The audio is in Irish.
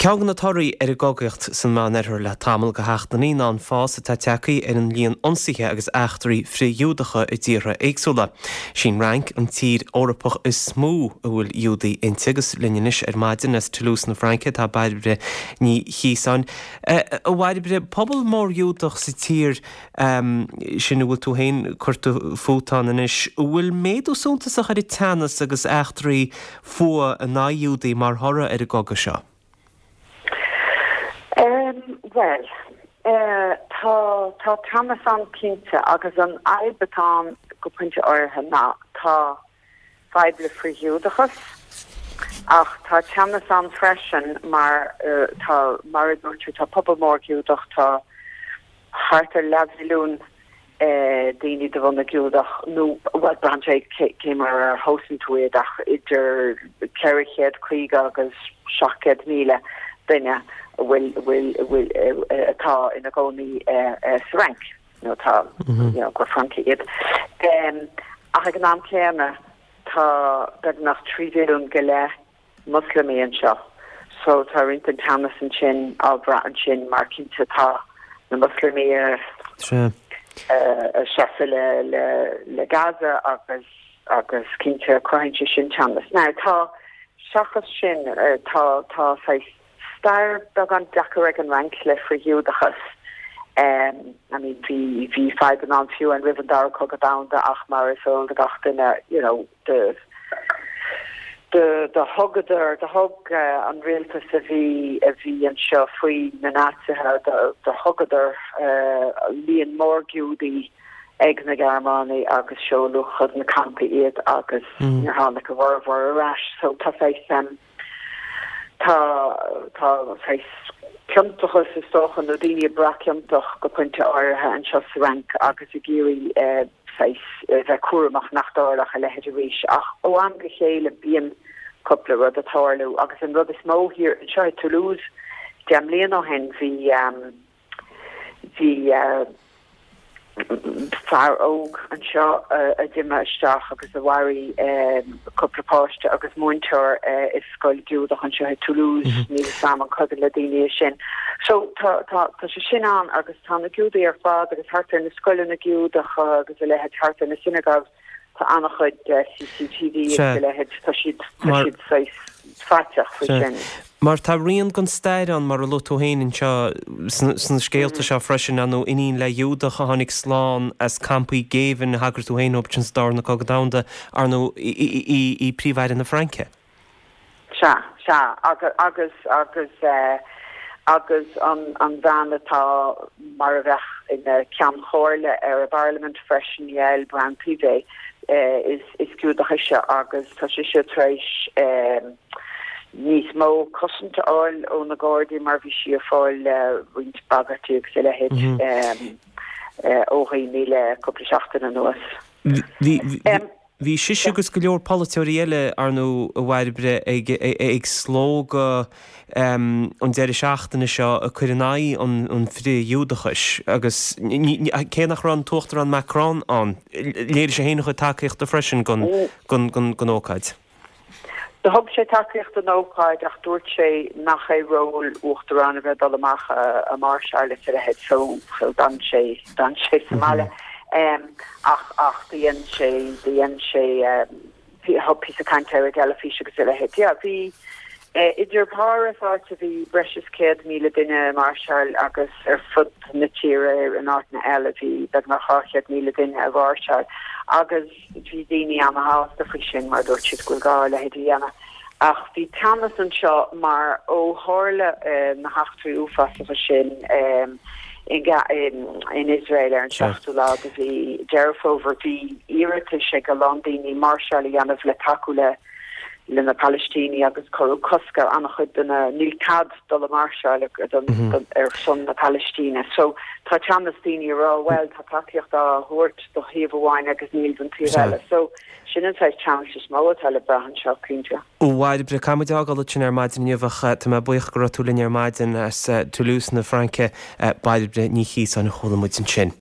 Ceann de na torthaí ar an gcogaíocht san Meánoirthear le tamall go heachtraí ná an fás atá tagtha ar an líon ionsaithe agus eachtraí frith-Ghiúdacha i dtíortha éagsúla. Sí an Fhrainc an tír Eorpach is mó a bhfuil Giúdaigh inti agus linn anois ar maidin as Toulouse na Fraince tá Bairbre Ní Chíosáin. A Bhairbre, pobal mór Giúdach sa tír sin a bhfuil tú féin curtha fút ann anois, an bhfuil méadú suntasach ar an teannas agus eachtraí fuath in aghaidh Iúdaigh mar thoradh ar an gcogadh seo? Bhuel, tá, tá teannas ann cinnte agus an fhadhb atá ann go pointe áirithe ná tá fadhb le frith-Ghiúdachas ach tá teannas ann freisin mar tá, mar a dúirt tú, tá pobal mór Giúdach, tá thart ar leathmhilliún daoine de bhunadh Giúdach, nó, bhuel, braitheann sé cé mar a thomhaiseann tú iad, ach idir 450 agus 700,000 duine a bhfuil, a bhfuil, a bhfuil, atá ina gcónaí sa Fhrainc, nó atá, you know, gur Francaigh iad. Ach ag an am céanna, tá beagnach 3 mhilliún go leith Moslamaigh anseo so tá roinnt den teannas ansin á bhrath ansin mar cinnte tá na Moslamaigh ag seasamh le le le Gaza agus agus cinnte cruthaíonn sé sin teannas. Now tá seachas sin tá tá saghas stair beagán deacair ag an Fhrainc le frith-Ghiúdachas. I mean bhí bhí fadhbanna ann fiú roimh an Dara Cogadh Domhanda ach mar is eol do gach duine you know do do thugadar, do thug an rialtas a bhí a bhí anseo faoi na Naitsithe, do do thugadar líon mór Giúdaí ag na Gearmánaigh agus seoladh chun na campaí iad agus níor tháinig a bhformhór ar ais. So tá saghas tá tá saghas ciontachas is dócha nó daoine ag brath ciontach go pointe áirithe anseo sa Fhrainc agus ag iarraidh saghas, bheith cúramach nach dtarlódh a leithéid arís. Ach ó am go chéile bíonn cúpla rud ag tarlú agus an rud is mó thiar anseo i Toulouse 10 mbliana ó shin bhí bhí fear óg anseo a d'imigh isteach agus a mharaigh cúpla páiste agus múinteoir i scoil Giúdach anseo i Toulouse, níl 'fhios a'm an cuimhin le daoine é sin. So tá tá tá sé sin ann agus tá na Giúdaigh ar fad agus thart ar na scoileanna Giúdacha agus a leithéid, thart ar na synagogues, tá an-chuid CCTV agus a leithéid, tá siad tá siad saghas faiteach faoi sin. Mar tá rian den stair ann, mar a luaigh tú féin anseo sna scéalta seo freisin, ar ndóigh, iníon le Giúdach a tháinig slán as campaí géibhinn, a thagair tú féin dóibh sa Darna Cogadh Domhanda, ar ndóigh, í Príomh-Aire na Fraince. Sea, sea, agus, agus, agus eh, agus an, an bhean atá mar a bheadh ina ceann comhairle ar an bparlaimint freisin, Yael Braun-Pivet, eh, is, is Giúdach ise agus tá sise tar éis eh, níos mó cosaint a fháil ó na Gardaí mar bhí sí ag fáil eh, roinnt bagairtí agus a leithéid eh, eh, ó dhaoine le cúpla seachtain anuas. Bhí, bhí, Em. Bhí sise agus go leor polaiteoirí eile, ar ndóigh, a Bhairbre, ag slógadh an deireadh seachtaine seo ag cur in aghaidh an frith-Ghiúdachais agus cé nach raibh an tUachtarán Macron ann, léirigh sé féin a chuid tacaíochta freisin don ócáid. Do thug sé tacaíocht don ócáid ach dúirt sé nach é ról uachtaráin a bheith ag dul amach ag máirseáil is a leithéid so so d'fhan sé d'fhan sé sa mbaile. Ach ach do dhein sé do dhein sé thug píosa cainte ar an dteilifís agus a leithéid. Yeah bhí idir Páras áit a bhí breis is 100,000 duine ag máirseáil agus ar fud na tíre in áiteanna eile bhí beagnach 200,000 duine ag máirseáil agus Bhí daoine ana-shásta faoi sin mar dúirt siad go bhfuil gá a leithéid a dhéanamh. Ach bhí teannas anseo mar ó tharla na heachtraí uafásacha sin in Iosrael ar an seachtú lá de mhí Deireadh Fómhair, bhí iarratais ag a lán daoine máirseáil a dhéanamh le tacú le le na Palaistínigh agus cuireadh cosc ar an-chuid de na, níl cead dul ag máirseáil ar son na Palaistíne. So tá teannas daoine ag rá bhuel tá tacaíocht á thabhairt do thaobh amháin agus níl don taobh eile. So sin an saghas teannais is mó atá le brath anseo, cinnte. A Bhairbre, caithfidh muid a fhágáil ansin ar maidin inniu ach tá mé buíoch go raibh tú linn ar maidin as Toulouse na Fraince, Bairbre Ní Chíosáin a chuala muid ansin.